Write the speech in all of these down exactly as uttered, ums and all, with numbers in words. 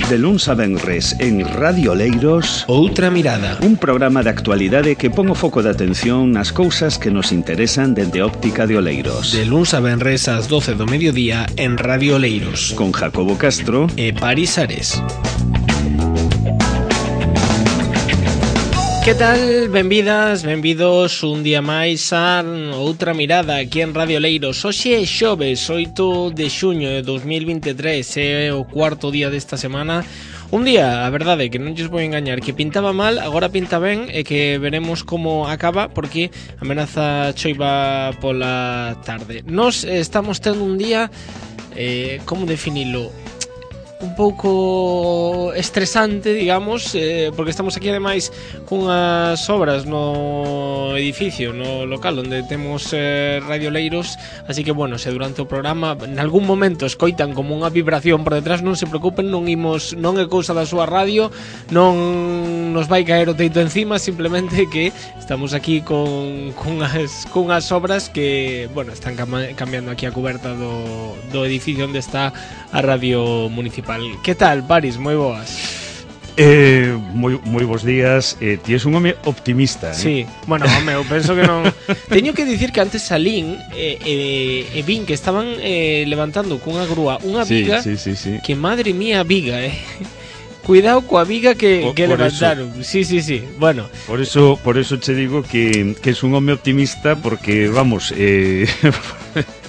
De luns a venres en Radio Oleiros, Outra Mirada, un programa de actualidade que pon o foco de atención nas cousas que nos interesan dende óptica de Oleiros. De luns a venres ás doce do mediodía en Radio Oleiros, con Jacobo Castro e Paris Ares. Que tal? Benvidas, benvidos un día máis a Outra Mirada aquí en Radio Oleiros. Hoxe é xoves, oito de xuño de dos mil veintitrés, é o cuarto día desta semana. Un día, a verdade, que non lles vou engañar, que pintaba mal, agora pinta ben e que veremos como acaba porque amenaza choiva pola tarde. Nos estamos tendo un día, eh, como definilo? Un pouco estresante, digamos, eh, porque estamos aquí ademais cunhas obras no edificio, no local onde temos eh, Radio Oleiros, así que bueno, se durante o programa en algún momento escoitan como unha vibración por detrás, non se preocupen, non imos, non é cousa da súa radio, non nos vai caer o teito encima, simplemente que estamos aquí con cunhas, cunhas obras que, bueno, están cam- cambiando aquí a cuberta do, do edificio onde está a radio municipal. Que tal, Paris? Moi boas. Eh, moi, moi bons días. eh, Ti és un home optimista, eh? Sí, bueno, home, eu penso que non. Teño que dicir que antes salín e eh, eh, eh, vin que estaban eh, levantando cunha grúa unha viga, sí, sí, sí, sí. que madre mía viga, eh. Cuidado coa viga que, por, que por levantaron. Eso. Sí, sí, sí. Bueno. Por eso, por eso che digo que, que es un home optimista, porque vamos, eh,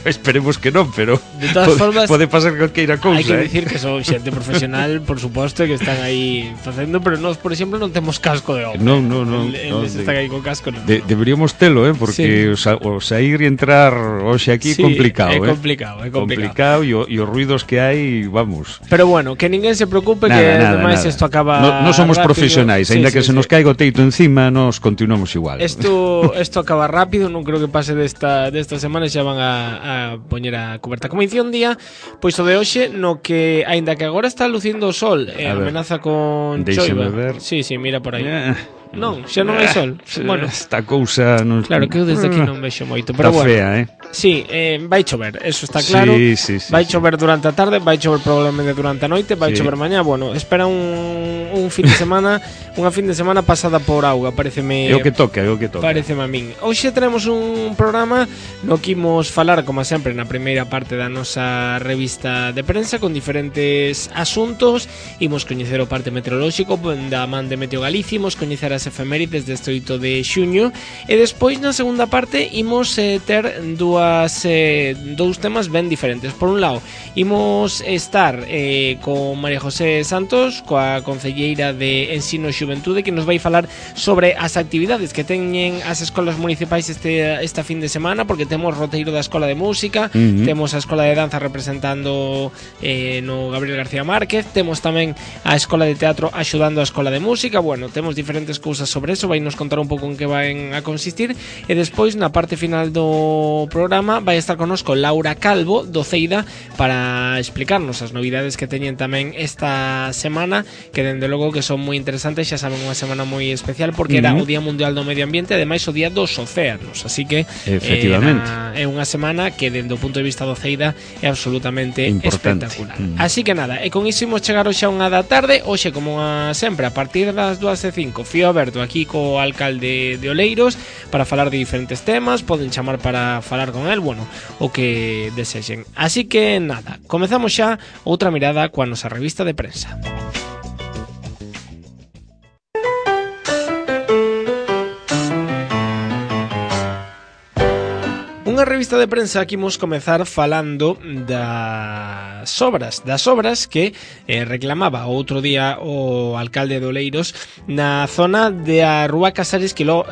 esperemos que non, pero de todas pode, formas pode pasar calqueira cousa. Hai que eh? dicir que son xente profesional, por suposto, que están aí facendo, pero nós, por exemplo, non temos casco de obra. Non, non, non. Eles no, están aí con casco, non. De, deberíamos telo, eh, porque sí. o, sa, o sair e entrar hoxe aquí é sí, complicado, é eh. complicado, é complicado. Complicado e, o, e os ruidos que hai, vamos. Pero bueno, que ninguén se preocupe, nada, que nada, ademais nada. isto acaba No, no somos rápido. Profesionais, sí, aínda sí, que sí. se nos caiga o teito encima, nos continuamos igual. Isto isto acaba rápido, non creo que pase desta desta semana, xa van a, a poñer a cuberta. Como dicía un día, pois o de hoxe no que aínda que agora está lucindo o sol, e eh, amenaza con choiva. Ver. Sí, sí, mira por aí. Yeah. Non, xa non hai sol. Bueno, esta cousa non... Claro que eu desde aquí non vexo moito, pero está bueno. Fea, eh? Sí, eh, vai chover, eso está claro. Sí, sí, sí, vai sí. chover durante a tarde, vai chover probablemente durante a noite, vai sí. chover mañá. Bueno, espera un, un fin de semana, unha fin de semana pasada por auga, pareceme. É o que toca, é o que toca. Pareceme a min. Hoxe tenemos un programa no que imos falar, como sempre, na primeira parte da nosa revista de prensa con diferentes asuntos. Imos coñecer o parte meteorolóxico da man de Meteo Galicia, imos coñecer as efemérides deste oito de xuño e despois na segunda parte imos eh, ter dúas eh, dous temas ben diferentes. Por un lado, imos estar eh, con María José Santos, coa concelleira de Ensino e Xuventude, que nos vai falar sobre as actividades que teñen as escolas municipais este, esta fin de semana, porque temos roteiro da Escola de Música, uh-huh. temos a Escola de Danza representando eh, no Gabriel García Márquez, temos tamén a Escola de Teatro axudando a Escola de Música. Bueno, temos diferentes cousas sobre eso, vai nos contar un pouco en que van a consistir, e despois na parte final do programa vai estar connosco Laura Calvo do Ceida para explicarnos as novidades que teñen tamén esta semana, que dende logo que son moi interesantes. Xa saben, unha semana moi especial porque uh-huh. era o Día Mundial do Medio Ambiente, ademais o Día dos Océanos, así que efectivamente eh, é unha semana que dende o punto de vista do Ceida é absolutamente importante. Espectacular. Uh-huh. Así que nada, e con iso imos chegar hoxe a unha da tarde, hoxe como a sempre a partir das dúas e cinco, fío aberto aquí co alcalde de Oleiros para falar de diferentes temas, poden chamar para falar con el, bueno, o que desexen. Así que nada, comezamos xa outra mirada coa nosa revista de prensa. Unha revista de prensa que imos comezar falando das obras, das obras que eh, reclamaba outro día o alcalde de Oleiros na zona de a Rúa Casares Quilo,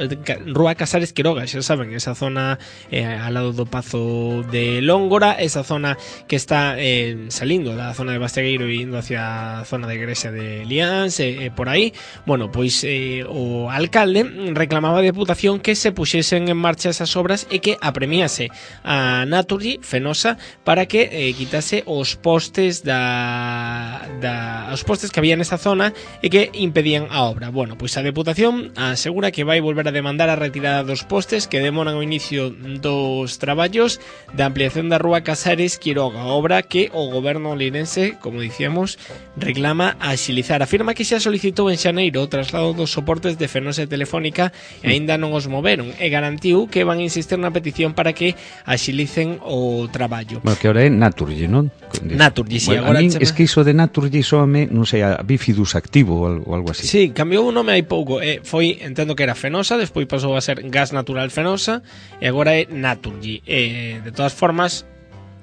Rúa Casares Quiroga, xa saben, esa zona eh, ao lado do Pazo de Lóngora, esa zona que está eh, salindo da zona de Bastegueiro e indo hacia a zona de Igrexa de Liáns, e eh, por aí. Bueno, pois eh, o alcalde reclamaba a Deputación que se puxesen en marcha esas obras e que apremiase chamase a Naturgy, Fenosa, para que eh, quitase os postes da, da os postes que había nesa zona e que impedían a obra. Bueno, pois a Deputación asegura que vai volver a demandar a retirada dos postes que demoran o inicio dos traballos da ampliación da Rúa Casares Quiroga, obra que o goberno linense, como dicíamos, reclama axilizar. Afirma que xa solicitou en xaneiro o traslado dos soportes de Fenosa e Telefónica e aínda non os moveron e garantiu que van a insistir na petición para que axilicen o traballo. Bueno, que ahora é Naturgy, non? Naturgy, si. Bueno, Agora a min chama... es que iso de Naturgy soame, non sei, a Bifidus Activo ou algo, algo así. Sí, cambiou o nome hai pouco. Eh, foi, entendo que era Fenosa, despois pasou a ser Gas Natural Fenosa e agora é Naturgy. Eh, de todas formas,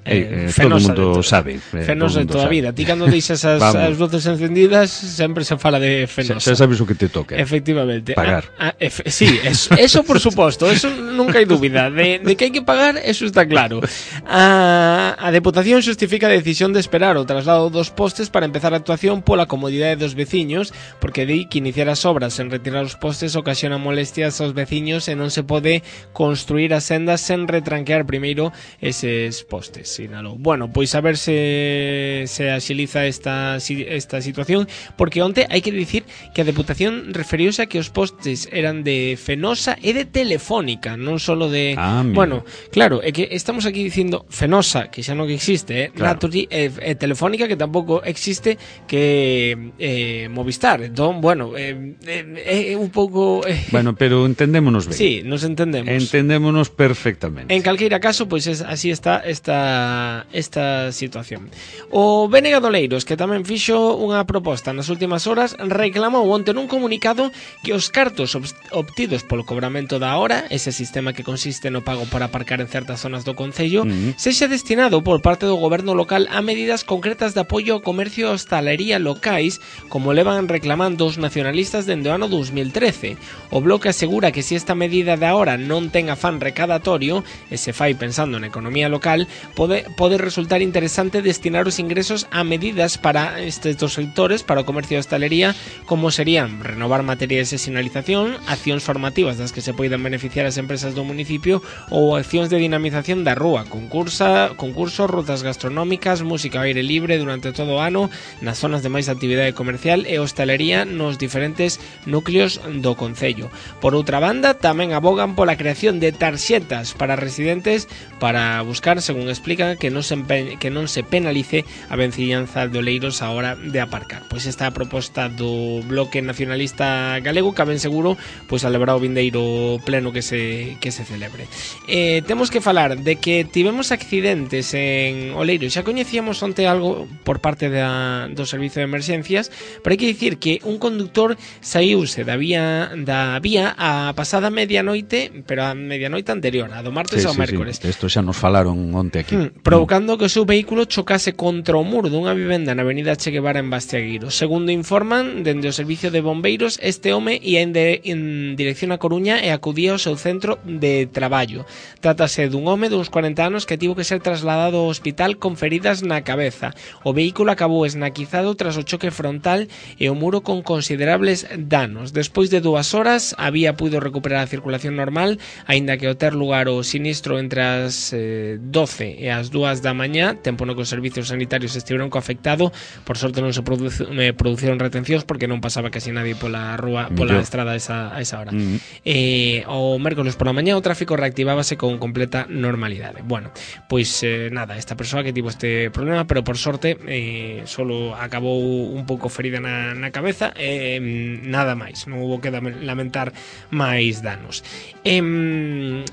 Eh, eh, todo o mundo sabe eh, Fenosa de toda a vida. Ti cando deixas as, as luces encendidas sempre se fala de Fenosa. Xa sabes o que te toca. Efectivamente. Pagar. Ah, ah, efe, sí, eso, eso por suposto, eso nunca hai dúbida. De, de que hai que pagar, eso está claro. A, a Deputación xustifica a decisión de esperar o traslado dos postes para empezar a actuación pola comodidade dos veciños, porque di que iniciar as obras sen retirar os postes ocasiona molestias aos veciños e non se pode construir as sendas sen retranquear primeiro eses postes. Sinalou. Bueno, pois a ver se se axiliza esta esta situación, porque onte hai que dicir que a Deputación referiuse a que os postes eran de Fenosa e de Telefónica, non solo de... Ah, bueno, claro, é que estamos aquí dicindo Fenosa, que xa non existe, eh? Claro. Naturgy e, e Telefónica, que tampouco existe, que eh, Movistar. Entón, bueno, é eh, eh, un pouco... Eh, bueno, pero entendémonos ben. Sí, nos entendemos. Entendémonos perfectamente. En calqueira caso, pois es, así está esta esta situación. O B N G Doleiros, que tamén fixo unha proposta nas últimas horas, reclamou onte nun comunicado que os cartos obtidos polo cobramento da hora, ese sistema que consiste no pago para aparcar en certas zonas do concello, uh-huh. sexa destinado por parte do goberno local a medidas concretas de apoio ao comercio e hostalería locais, como levan reclamando os nacionalistas dende o ano dos mil trece. O Bloque asegura que se esta medida da hora non ten afán recadatorio e se fai pensando na economía local, pode, pode resultar interesante destinar os ingresos a medidas para estes dos sectores, para o comercio e hostalería, como serían renovar materiais de sinalización, accións formativas das que se poidan beneficiar as empresas do municipio ou accións de dinamización da rúa, concursa, concursos, rutas gastronómicas, música ao aire libre durante todo o ano nas zonas de máis actividade comercial e hostalería nos diferentes núcleos do concello. Por outra banda, tamén abogan pola creación de tarxetas para residentes para buscar, según explica, que non se, que non se penalice a venciñanza de Oleiros a hora de aparcar. Pois esta é a proposta do Bloque Nacionalista Galego, que ben seguro pois alevará o vindeiro pleno que se que se celebre. Eh, temos que falar de que tivemos accidentes en Oleiros. Xa coñecíamos onte algo por parte da, do servizo de emerxencias, pero hai que dicir que un conductor saíuse da vía da vía a pasada medianoite, pero a medianoite anterior, a do martes sí, ao sí, mércores. Sí. Isto xa nos falaron onte aquí. Hmm, provocando que o seu vehículo chocase contra o muro dunha vivenda na avenida Che Guevara en Bastiagueiro. Segundo informan dende o servicio de bombeiros, este home ia en, de, en dirección a Coruña e acudía ao seu centro de traballo. Trátase dun home duns corenta anos que tivo que ser trasladado ao hospital con feridas na cabeza. O vehículo acabou esnaquizado tras o choque frontal e o muro con considerables danos. Despois de dúas horas, a vía puido recuperar a circulación normal, aínda que ao ter lugar o sinistro entre as eh, doce e as dúas da mañá, tempo no que os servicios sanitarios estiveron co afectado. Por sorte non se produce, eh, produciron retencións porque non pasaba casi nadie pola rúa, pola estrada a esa, a esa hora. Mm-hmm. eh, o mércoles pola mañá o tráfico reactivábase con completa normalidade. Bueno, pois eh, nada, esta persoa que tivo este problema, pero por sorte eh, solo acabou un pouco ferida na, na cabeza, eh, nada máis, non hubo que lamentar máis danos. eh,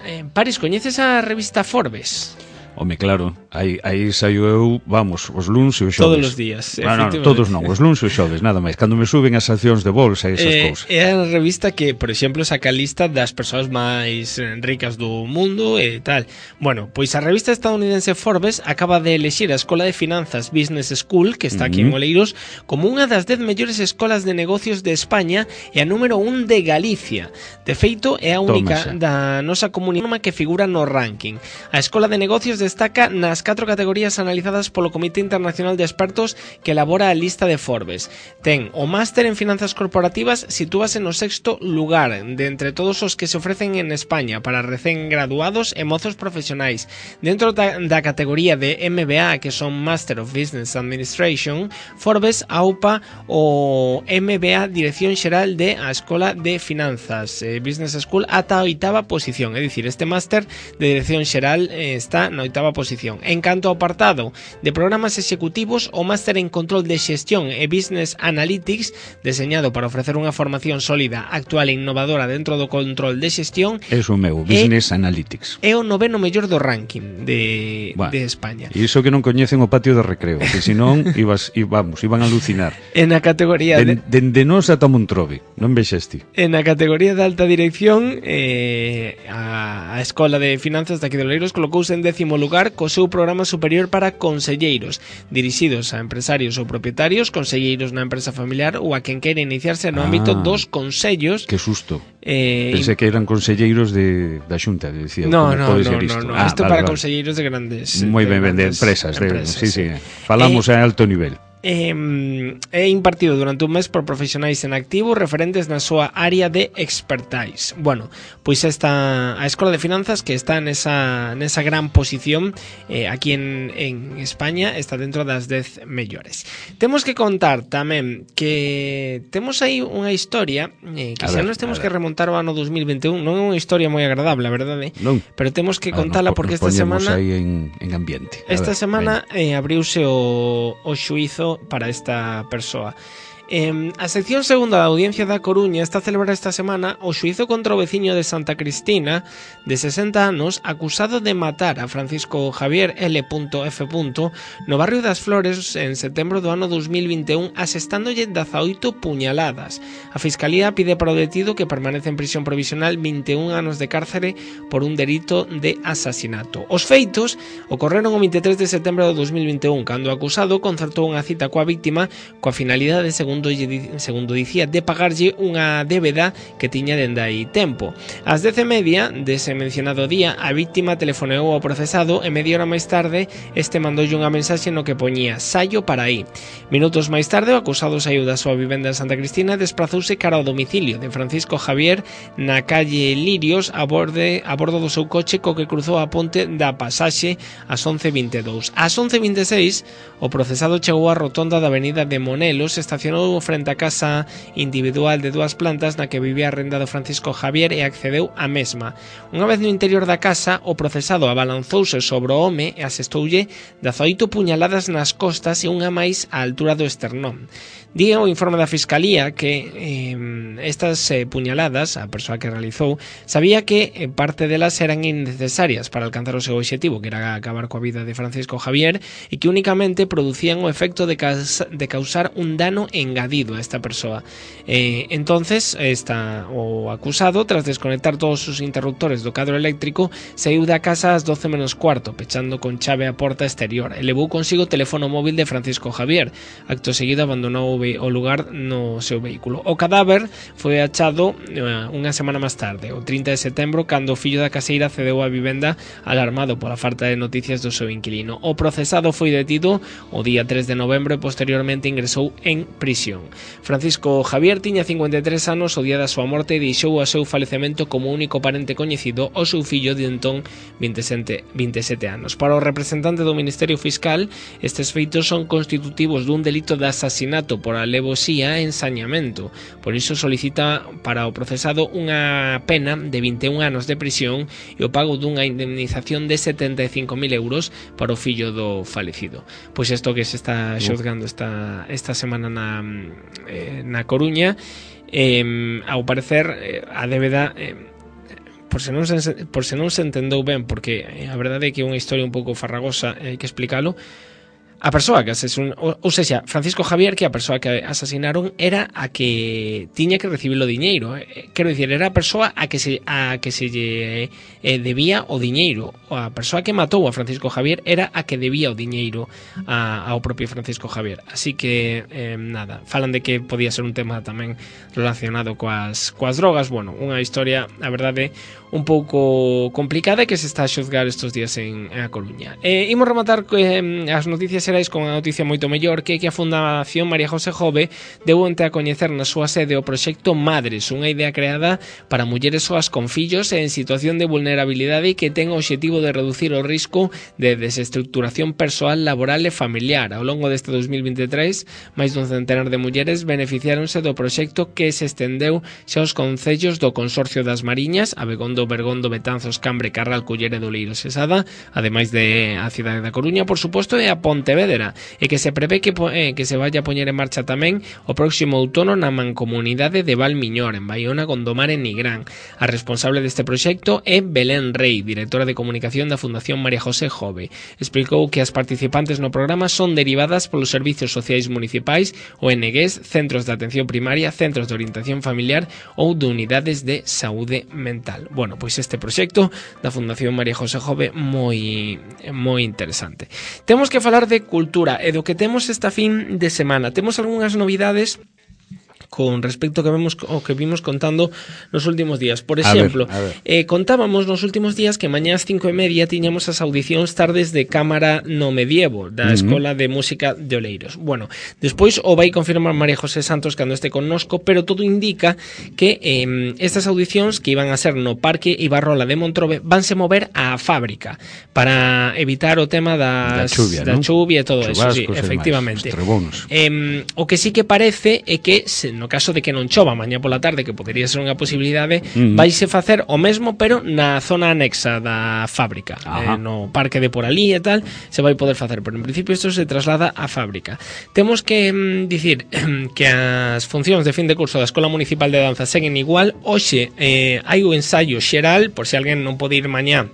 eh, Paris, coñeces a revista Forbes? Home, claro, aí, aí saio eu, vamos, os luns e os xoves. Todos os días, no, no, todos non, os luns e os xoves, nada máis. Cando me suben as accións de bolsa e esas eh, cousas. É a revista que, por exemplo, saca a lista das persoas máis ricas do mundo e tal. Bueno, pois a revista estadounidense Forbes acaba de elexir a Escola de Finanzas Business School, que está aquí uh-huh. en Oleiros, como unha das dez mellores escolas de negocios de España e a número un de Galicia. De feito, é a única da nosa comunidade que figura no ranking. A Escola de Negocios de destaca nas catro categorías analizadas polo Comité Internacional de Expertos que elabora a lista de Forbes. Ten o máster en finanzas corporativas, sitúase no sexto lugar de entre todos os que se ofrecen en España para recén graduados e mozos profesionais. Dentro da, da categoría de M B A, que son Master of Business Administration, Forbes aupa o M B A Dirección Xeral de a Escola de Finanzas eh, Business School ata a oitava posición, é dicir, este máster de Dirección Xeral eh, está na oitava posición. En canto ao apartado de programas executivos, o máster en Control de Xestión e Business Analytics, deseñado para ofrecer unha formación sólida, actual e innovadora dentro do control de xestión, eso meu, Business e, Analytics, é o noveno mellor do ranking de, bueno, de España. E iso que non coñecen o patio de recreo, que senón ibas, vamos, iban a alucinar. En a categoría de... Dende nos ata Montrobe, non vexeste? En a categoría de alta dirección, eh, a, a Escola de Finanzas de aquí de Oleiros colocouse en décimo lugar co seu programa superior para conselleiros, dirixidos a empresarios ou propietarios, conselleiros na empresa familiar ou a quen queira iniciarse no ah, ámbito dos consellos. Que susto. Eh, Pensé que eran conselleiros de, da Xunta, decía, no, como no, pode no, ser isto. No, no, ah, isto vale, para vale. conselleiros de grandes moi ben, de empresas, empresas de, sí, sí. Falamos eh, a alto nivel. É, é impartido durante un mes por profesionais en activo referentes na súa área de expertise. Bueno, pois esta a Escola de Finanzas, que está nesa, nesa gran posición eh, aquí en, en España, está dentro das dez mellores. Temos que contar tamén que temos aí unha historia eh, que xa nos temos que remontar ao ano dos mil vinte e un. Non é unha historia moi agradable, a verdade, non. Pero temos que contala porque esta semana aí en, en ambiente. A esta ver, semana eh, abriuse o, o xuízo para esta persoa. Eh, a sección segunda da Audiencia da Coruña está a celebrar esta semana o xuízo contra o veciño de Santa Cristina de sesenta anos acusado de matar a Francisco Javier L F no barrio das Flores en setembro do ano dos mil vinte e un, asestándolle dezaoito puñaladas. A Fiscalía pide para o detido que permanece en prisión provisional vinte e un anos de cárcere por un delito de asasinato. Os feitos ocorreron o vinte e tres de setembro do dos mil vinte e un, cando o acusado concertou unha cita coa víctima coa finalidade, segundo segundo dicía, de pagarlle unha débeda que tiña dende aí tempo. Ás dez e media dese mencionado día, a víctima telefoneou ao procesado e media hora máis tarde este mandoulle unha mensaxe no que poñía "saio para aí". Minutos máis tarde, o acusado saiu da súa vivenda en Santa Cristina e desprazouse cara ao domicilio de Francisco Javier na calle Lirios a, borde, a bordo do seu coche co que cruzou a ponte da Pasaxe ás once e vinte e dous. Ás once e vinte e seis, o procesado chegou á rotonda da avenida de Monelos, estacionou frente á casa individual de dúas plantas na que vivía arrendado Francisco Javier e accedeu á mesma. Unha vez no interior da casa, o procesado abalanzouse sobre o home e asestoulle dezaoito puñaladas nas costas e unha máis á altura do esternón. Di o informe da Fiscalía que eh, estas eh, puñaladas, a persoa que realizou, sabía que eh, parte delas eran innecesarias para alcanzar o seu obxectivo, que era acabar coa vida de Francisco Javier, e que únicamente producían o efecto de, causa, de causar un dano engadido a esta persoa. Eh, entonces, esta, o acusado, tras desconectar todos os interruptores do cadro eléctrico, saiu da casa ás doce menos cuarto, pechando con chave a porta exterior, e levou consigo o teléfono móvil de Francisco Javier. Acto seguido abandonou o lugar no seu vehículo. O cadáver foi achado uh, unha semana máis tarde, o trinta de setembro, cando o fillo da caseira cedeu a vivenda alarmado pola falta de noticias do seu inquilino. O procesado foi detido o día tres de novembro e posteriormente ingresou en prisión. Francisco Javier tiña cincuenta e tres anos o día da súa morte e deixou o seu falecemento como único parente coñecido o seu fillo de entón vinte e sete anos. Para o representante do Ministerio Fiscal, estes feitos son constitutivos dun delito de asasinato por alevosía e ensañamento. Por iso solicita para o procesado unha pena de vinte e un anos de prisión e o pago dunha indemnización de setenta e cinco mil euros para o fillo do falecido. Pois isto que se está xozgando esta, esta semana na, eh, na Coruña, eh, ao parecer eh, a débeda eh, por se non se, por se non se entendeu ben, porque eh, a verdade é que é unha historia un pouco farragosa e hai que explicalo. a persoa que asesinaron, ou, ou seja, Francisco Javier, que a persoa que asasinaron era a que tiña que recibir o diñeiro. Eh, quero dicir, era a persoa a que se a que se lle eh, debía o diñeiro. A persoa que matou a Francisco Javier era a que debía o diñeiro a, ao propio Francisco Javier. Así que, eh, nada, falan de que podía ser un tema tamén relacionado coas, coas drogas. Bueno, unha historia, a verdade, un pouco complicada que se está a xuzgar estes días en, en A Coruña. Eh, imos rematar eh, as noticias xerais con a noticia moito mellor, que é que a Fundación María José Jove deu onte a coñecer na súa sede o proxecto Madres, unha idea creada para mulleres soas con fillos e en situación de vulnerabilidade que ten o obxectivo de reducir o risco de desestructuración persoal, laboral e familiar. Ao longo deste dos mil veintitrés, máis dun centenar de mulleres beneficiáronse do proxecto que se estendeu xa aos concellos do Consorcio das Mariñas, Abegondo, Bergondo, Betanzos, Cambre, Carral, Cullera e Doleiros e Sada, ademais de a cidade da Coruña, por suposto, e a Pontevedra, e que se prevé que, eh, que se vaya a poñer en marcha tamén o próximo outono na mancomunidade de Valmiñor, en Baiona, Gondomar e Nigrán. A responsable deste proxecto é Belén Rey, directora de comunicación da Fundación María José Jove. Explicou que as participantes no programa son derivadas polos servicios sociais municipais, O N Gs, centros de atención primaria, centros de orientación familiar ou de unidades de saúde mental. Bueno, pois este proxecto da Fundación María José Jove moi moi interesante. Temos que falar de cultura e do que temos esta fin de semana. Temos algunhas novidades con respecto que vemos o que vimos contando nos últimos días. Por exemplo, a ver, a ver. Eh, contábamos nos últimos días que mañá ás cinco e media tiñamos as audicións tardes de cámara no medievo da uh-huh. Escola de Música de Oleiros. Bueno, despois o vai confirmar María José Santos cando este connosco, pero todo indica que eh, estas audicións que iban a ser no Parque Ibarrola de Montrobe vanse mover á fábrica para evitar o tema das, da chuvia, da ¿no? chuvia e todo eso, sí, efectivamente. Eh, o que sí que parece é que se no caso de que non chova mañá pola tarde, que podería ser unha posibilidade, uh-huh. vaise facer o mesmo, pero na zona anexa da fábrica, eh, no parque de por ali e tal, se vai poder facer, pero en principio isto se traslada á fábrica. Temos que mm, dicir que as funcións de fin de curso da Escola Municipal de Danza seguen igual. Hoxe eh, hai o ensaio xeral, por se alguén non pode ir mañá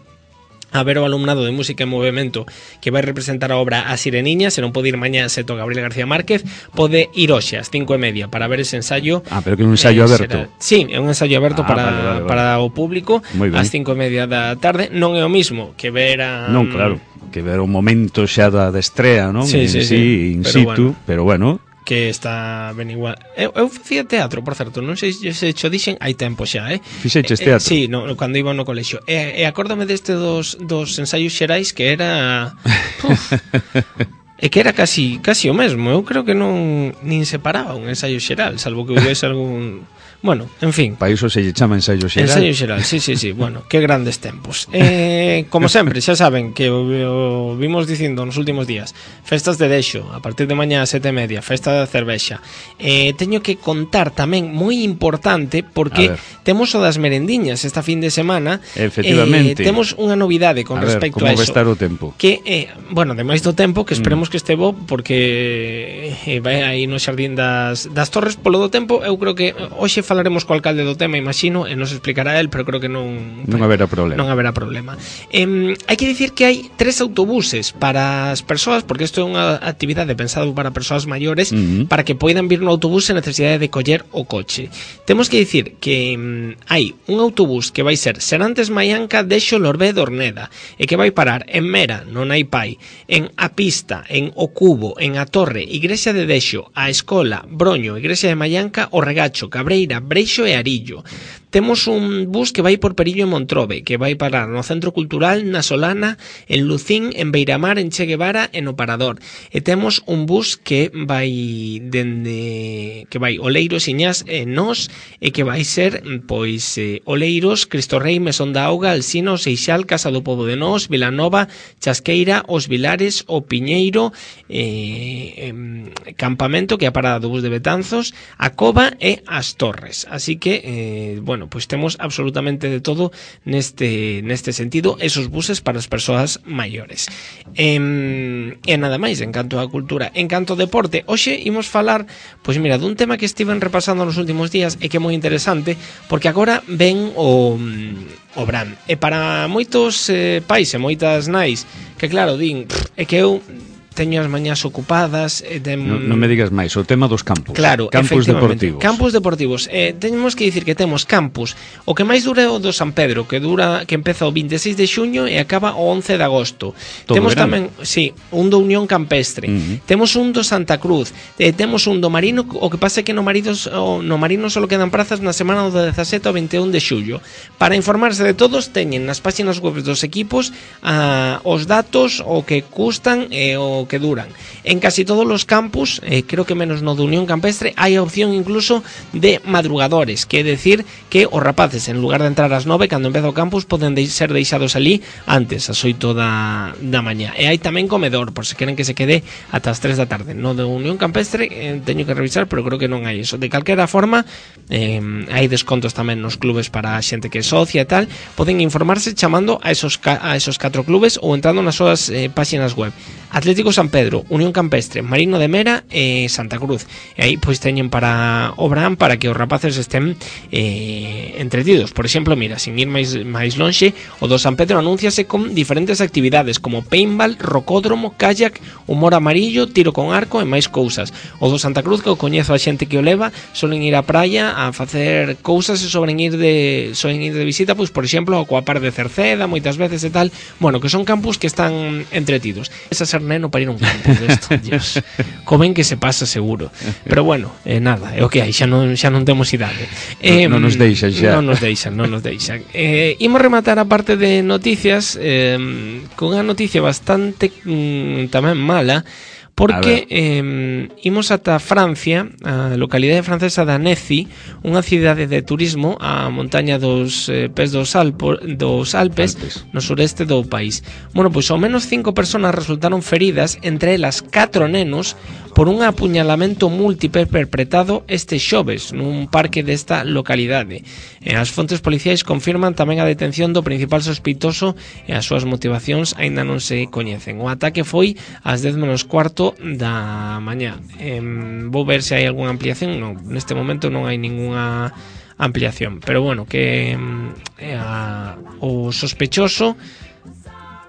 a ver o alumnado de Música en Movimento que vai representar a obra A Sireniña. Se non pode ir mañá Seto Gabriel García Márquez, pode ir hoxe ás cinco e media para ver ese ensayo. Ah, pero que é un ensayo eh, aberto. Será, sí, é un ensayo aberto ah, para, vale, vale, vale. para o público ás cinco e media da tarde. Non é o mismo que ver a... Non, claro, que ver o momento xa da, da estrea, non? Sí, sí, sí, sí, in pero situ, bueno. pero bueno... que está ben igual. Eu, eu facía teatro, por certo, non sei se cho dixen hai tempo xa, eh? Fixeches teatro? Eh, sí, no, cando iba no colexio. E, e acórdame deste dos, dos ensaios xerais que era... Uf, e que era casi casi o mesmo. Eu creo que non nin separaba un ensaio xeral, salvo que houvese algún... Bueno, en fin. Para iso se lle chama ensaio xeral. Ensaio xeral, sí, sí, sí. Bueno, que grandes tempos. Eh, como sempre, xa saben que o, o vimos dicindo nos últimos días, festas de Dexo, a partir de mañá a sete e media, festa da cervexa. Eh, teño que contar tamén, moi importante, porque temos o das merendiñas esta fin de semana. Efectivamente. Eh, temos unha novidade con a respecto ver, a eso. Como vai estar o tempo? Que, eh, bueno, ademais do tempo, que esperemos mm. que este bo, porque eh, vai aí no Xardín das, das Torres. Polo do tempo, eu creo que hoxe falaremos co alcalde do tema, imagino, e nos explicará el, pero creo que non non haberá problema. Non haberá problema. Eh, hai que dicir que hai tres autobuses para as persoas, porque isto é unha actividade pensada para persoas maiores, uh-huh. para que poidan vir no autobús sen necesidade de coller o coche. Temos que dicir que um, hai un autobús que vai ser Serantes Maianca Dexo Lorbé Dorneda e que vai parar en Mera, non hai pai, en A Pista, en O Cubo, en A Torre, Igrexa de Dexo, A Escola, Broño, Igrexa de Maianca, O Regacho, Cabreira, Breixo e Arillo. Temos un bus que vai por Perillo e Montrobe, que vai parar no Centro Cultural, na Solana, en Lucín, en Beiramar, en Che Guevara e no Parador. E temos un bus que vai dende que vai Oleiros, Iñás e Nós, e que vai ser pois eh, Oleiros, Cristo Rei, Mesón da Auga, Alsino, Seixal, Casa do Pobo de Nós, Vilanova, Chasqueira, Os Vilares, O Piñeiro, eh, eh, Campamento, que é a parada do bus de Betanzos, a Cova e as Torres. Así que, eh, bueno, pois temos absolutamente de todo neste neste sentido, esos buses para as persoas maiores. E, e nada máis, en canto á cultura. En canto ao deporte, hoxe imos falar, pois mira, dun tema que estiven repasando nos últimos días e que é moi interesante, porque agora ven o, o Bran. E para moitos eh, pais e moitas nais, que claro, din, é que eu teño as mañás ocupadas. Eh, tem... non, non me digas máis, o tema dos campus. Claro, campus deportivos. Campus deportivos. Eh, temos que dicir que temos campus. O que máis dura é o do San Pedro, que dura que empeza o veintiséis de xuño e acaba o once de agosto. Todo temos verano. tamén, sí, un do Unión Campestre. Uh-huh. Temos un do Santa Cruz. Eh, temos un do Marino, o que pasa é que no Maridos, o, no Marino só quedan prazas na semana do dezasete ao veintiún de xullo. Para informarse de todos, teñen nas páxinas web dos equipos a, os datos, o que custan e o que duran. En casi todos os campus, eh, creo que menos no de Unión Campestre, hai a opción incluso de madrugadores, que é decir que os rapaces, en lugar de entrar ás nove, cando empeza o campus, poden de ser deixados ali antes, ás oito da, da mañá. E hai tamén comedor, por se queren que se quede ata as tres da tarde. No de Unión Campestre, eh, teño que revisar, pero creo que non hai eso. De calquera forma, eh, hai descontos tamén nos clubes para a xente que é socia e tal. Poden informarse chamando a esos, a esos catro clubes ou entrando nas súas eh, páxinas web. Atlético San Pedro, Unión Campestre, Marino de Mera e Santa Cruz. E aí pois teñen para o verán para que os rapaces estén eh, entretidos. Por exemplo, mira, sin ir máis, máis lonxe, o do San Pedro anúnciase con diferentes actividades como paintball, rocódromo, kayak, humor amarillo, tiro con arco e máis cousas. O do Santa Cruz, que o coñezo a xente que o leva, solen ir á praia a facer cousas e solen ir de solen ir de visita, pois por exemplo, ao Coapar de Cerceda, moitas veces e tal. Bueno, que son campus que están entretidos. Esa ser neno para ir a un campus desto, Dios. Comen que se pasa seguro. Pero bueno, eh, nada, é o que hai, xa non, xa non temos idade. Eh, non nos deixan xa. Non nos deixan, non nos deixan. Eh, imos rematar a parte de noticias eh, con unha noticia bastante mm, tamén mala, porque eh, imos ata Francia, a localidade francesa de Annecy, unha cidade de turismo a montaña dos eh, pés dos, Alpo, dos Alpes, Alpes, no sureste do país. Bueno, pois ao menos cinco persoas resultaron feridas, entre elas catro nenos, por un apuñalamento múltiple perpetrado este xoves nun parque desta localidade. E as fontes policiais confirman tamén a detención do principal sospeitoso e as súas motivacións aínda non se coñecen. O ataque foi ás dez menos cuarto da mañá. Eh, vou ver se hai algunha ampliación. Non, neste momento non hai ningunha ampliación, pero bueno, que eh, a, o sospechoso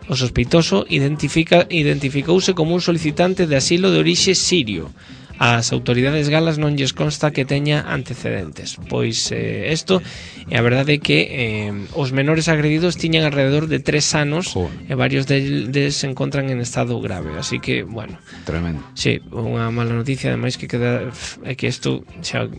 O sospeitoso identifica, identificouse como un solicitante de asilo de orixe sirio. As autoridades galas non lles consta que teña antecedentes. Pois eh, isto, e a verdade é que eh, os menores agredidos tiñan alrededor de tres anos. Joder. E varios deles de se encontran en estado grave. Así que, bueno, tremendo. Sí, unha mala noticia, ademais que queda é que isto xa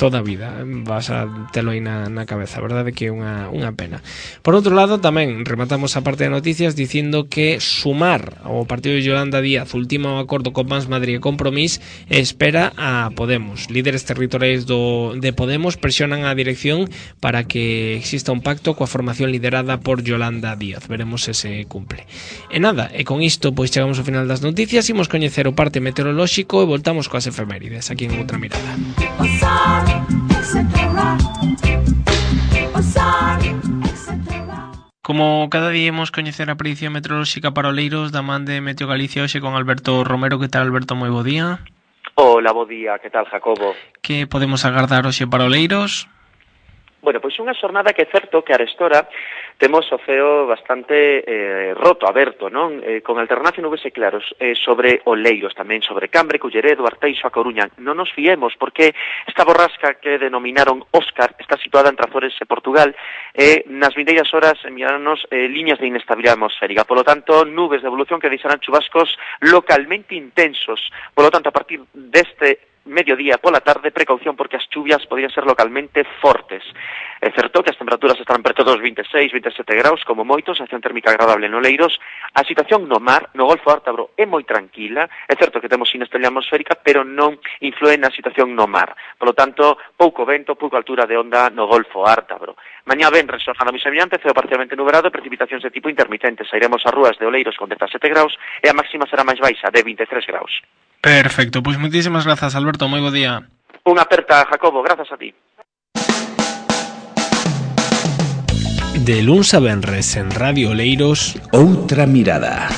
toda a vida vas a telo aí na, na cabeza, a verdade que é unha, unha pena. Por outro lado, tamén rematamos a parte de noticias dicindo que Sumar, o partido de Yolanda Díaz, ultima o acordo con Mans Madrid e Compromís e espera a Podemos. Líderes territoriais do, de Podemos presionan a dirección para que exista un pacto coa formación liderada por Yolanda Díaz. Veremos se se cumple. E nada, e con isto pois chegamos ao final das noticias, imos coñecer o parte meteorolóxico e voltamos coas efemérides aquí en Outra Mirada. Como cada día imos coñecer a predición meteorolóxica para Oleiros da man de Meteo Galicia hoxe con Alberto Romero. Que tal, Alberto? Moi bo día. Hola, bo día. Que tal, Jacobo? Que podemos agardar hoxe para Oleiros? Bueno, pois unha xornada que é certo que arestora temos o ceo bastante eh, roto, aberto, non? Eh, con alternancia nubes e claros eh, sobre Oleiros, tamén sobre Cambre, Culleredo, Arteixo, A Coruña. Non nos fiemos, porque esta borrasca que denominaron Óscar está situada entre Azores e Portugal e nas vindeiras horas enviarnos eh, liñas de inestabilidade atmosférica. Polo tanto, nubes de evolución que deixarán chubascos localmente intensos. Polo tanto, a partir deste mediodía pola tarde, precaución porque as chuvias podrían ser localmente fortes. É certo que as temperaturas estarán preto dos veintiséis, veintisiete graus, como moitos, sensación térmica agradable en Oleiros. A situación no mar, no Golfo Ártabro, é moi tranquila. É certo que temos inestabilidade atmosférica, pero non influe na situación no mar. Por lo tanto, pouco vento, pouca altura de onda no Golfo Ártabro. Mañá ven, resojando moi semellante, ceo parcialmente nublado e precipitacións de tipo intermitente. Sairemos ás rúas de Oleiros con dezasete graus e a máxima será máis baixa, de veintitrés graus. Perfecto, pois moitísimas grazas, Alberto, moi bo día. Unha aperta, Jacobo, grazas a ti. De luns a venres en Radio Oleiros, Outra Mirada.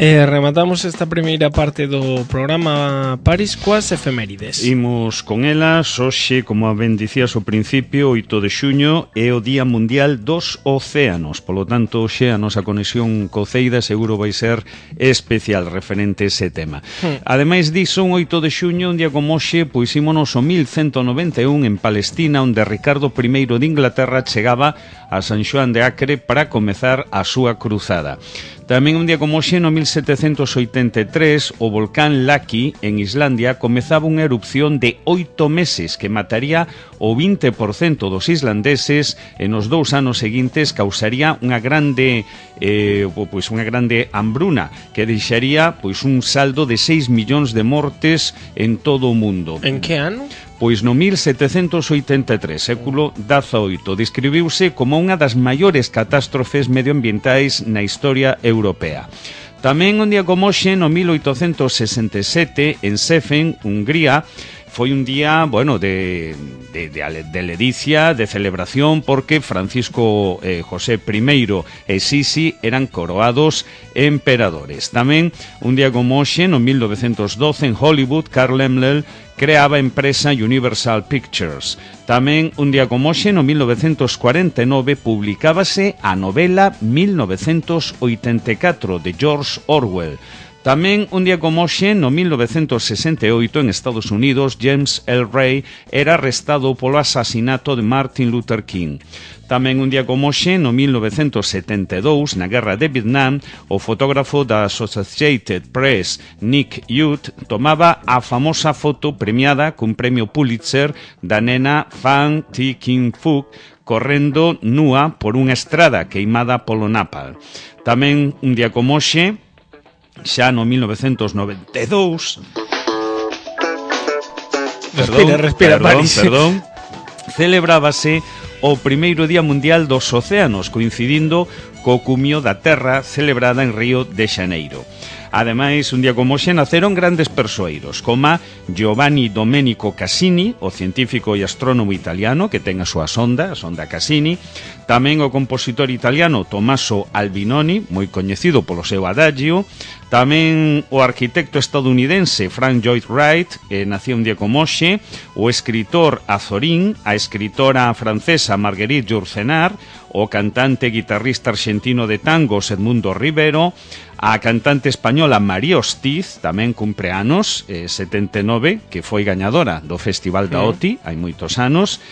E rematamos esta primeira parte do programa Paris coas efemérides. Imos con elas. Hoxe, como ben dicías ao principio, oito de xuño é o Día Mundial dos Océanos. Polo tanto, hoxe a nosa conexión co Ceida seguro vai ser especial referente a ese tema. Hmm. Ademais diso, un oito de xuño, un día como hoxe, pois ímonos o mil cento noventa e un en Palestina, onde Ricardo primeiro de Inglaterra chegaba a San Xoán de Acre para comezar a súa cruzada. Tamén un día como hoxe, no mil setecentos oitenta e tres, o volcán Laki, en Islandia, comezaba unha erupción de oito meses que mataría o vinte por cento dos islandeses e nos dous anos seguintes causaría unha grande eh, pois unha grande hambruna que deixaría pois un saldo de seis millóns de mortes en todo o mundo. En que ano? Pois no mil setecentos oitenta e tres, século dezaoito, describiuse como unha das maiores catástrofes medioambientais na historia europea. Tamén un día como hoxe, no mil oitocentos sesenta e sete, en Sefen, Hungría, foi un día, bueno, de, de, de, de ledicia, de celebración, porque Francisco eh, José primeiro e Sisi eran coroados emperadores. Tamén un día como hoxe, no mil novecentos doce, en Hollywood, Carl Laemmle creaba a empresa Universal Pictures. Tamén un día como hoxe, no mil novecentos cuarenta e nove, publicábase a novela mil novecentos oitenta e catro de George Orwell. Tamén un día como hoxe, no mil novecentos sesenta e oito, en Estados Unidos, James L. Ray era arrestado polo asasinato de Martin Luther King. Tamén un día como hoxe, no mil novecentos setenta e dous, na guerra de Vietnam, o fotógrafo da Associated Press, Nick Youth, tomaba a famosa foto premiada cun premio Pulitzer da nena Phan Thi King Fook correndo nua por unha estrada queimada polo napalm. Tamén un día como hoxe, xa no mil novecentos noventa e dous... Respira, perdón, respira, perdón, Paris. perdón, celebrábase o primeiro Día Mundial dos Océanos, coincidindo co cumio da Terra celebrada en Río de Xaneiro. Ademais, un día como hoxe naceron grandes persoeiros, como Giovanni Domenico Cassini, o científico e astrónomo italiano que ten a súa sonda, a sonda Cassini. Tamén o compositor italiano Tommaso Albinoni, moi coñecido polo seu adagio. Tamén o arquitecto estadounidense Frank Lloyd Wright, que nació un día como hoxe. O escritor Azorín, a escritora francesa Marguerite Yourcenar, o cantante e guitarrista argentino de tangos Edmundo Rivero, a cantante española María Hostiz, tamén cumpre anos, eh, setenta e nove, que foi gañadora do Festival da O T I, hai moitos anos,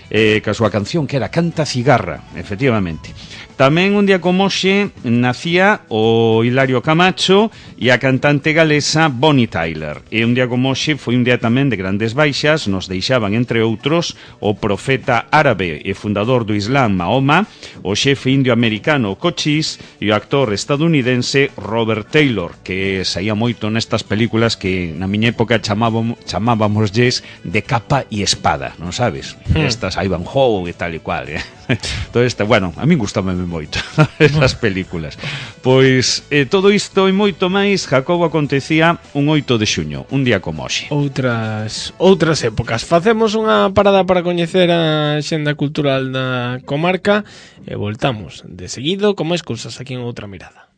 eh, que a súa canción que era Canta Cigarra, efectivamente. Tamén un día como hoxe nacía o Hilario Camacho e a cantante galesa Bonnie Tyler. E un día como hoxe foi un día tamén de grandes baixas, nos deixaban, entre outros, o profeta árabe e fundador do Islam Mahoma, o xefe indio americano Cochise e o actor estadounidense Robert Taylor, que saía moito nestas películas que na miña época chamábamos, chamábamosles de capa e espada, non sabes? Hmm. Estas Ivanhoe e tal e cual, eh? Todo este, bueno, a min gustame moito esas películas. Pois eh, todo isto e moito máis, Jacobo, acontecía un oito de xuño, un día como hoxe. Outras outras épocas. Facemos unha parada para coñecer a xenda cultural da comarca e voltamos de seguido con máis cousas aquí en Outra Mirada.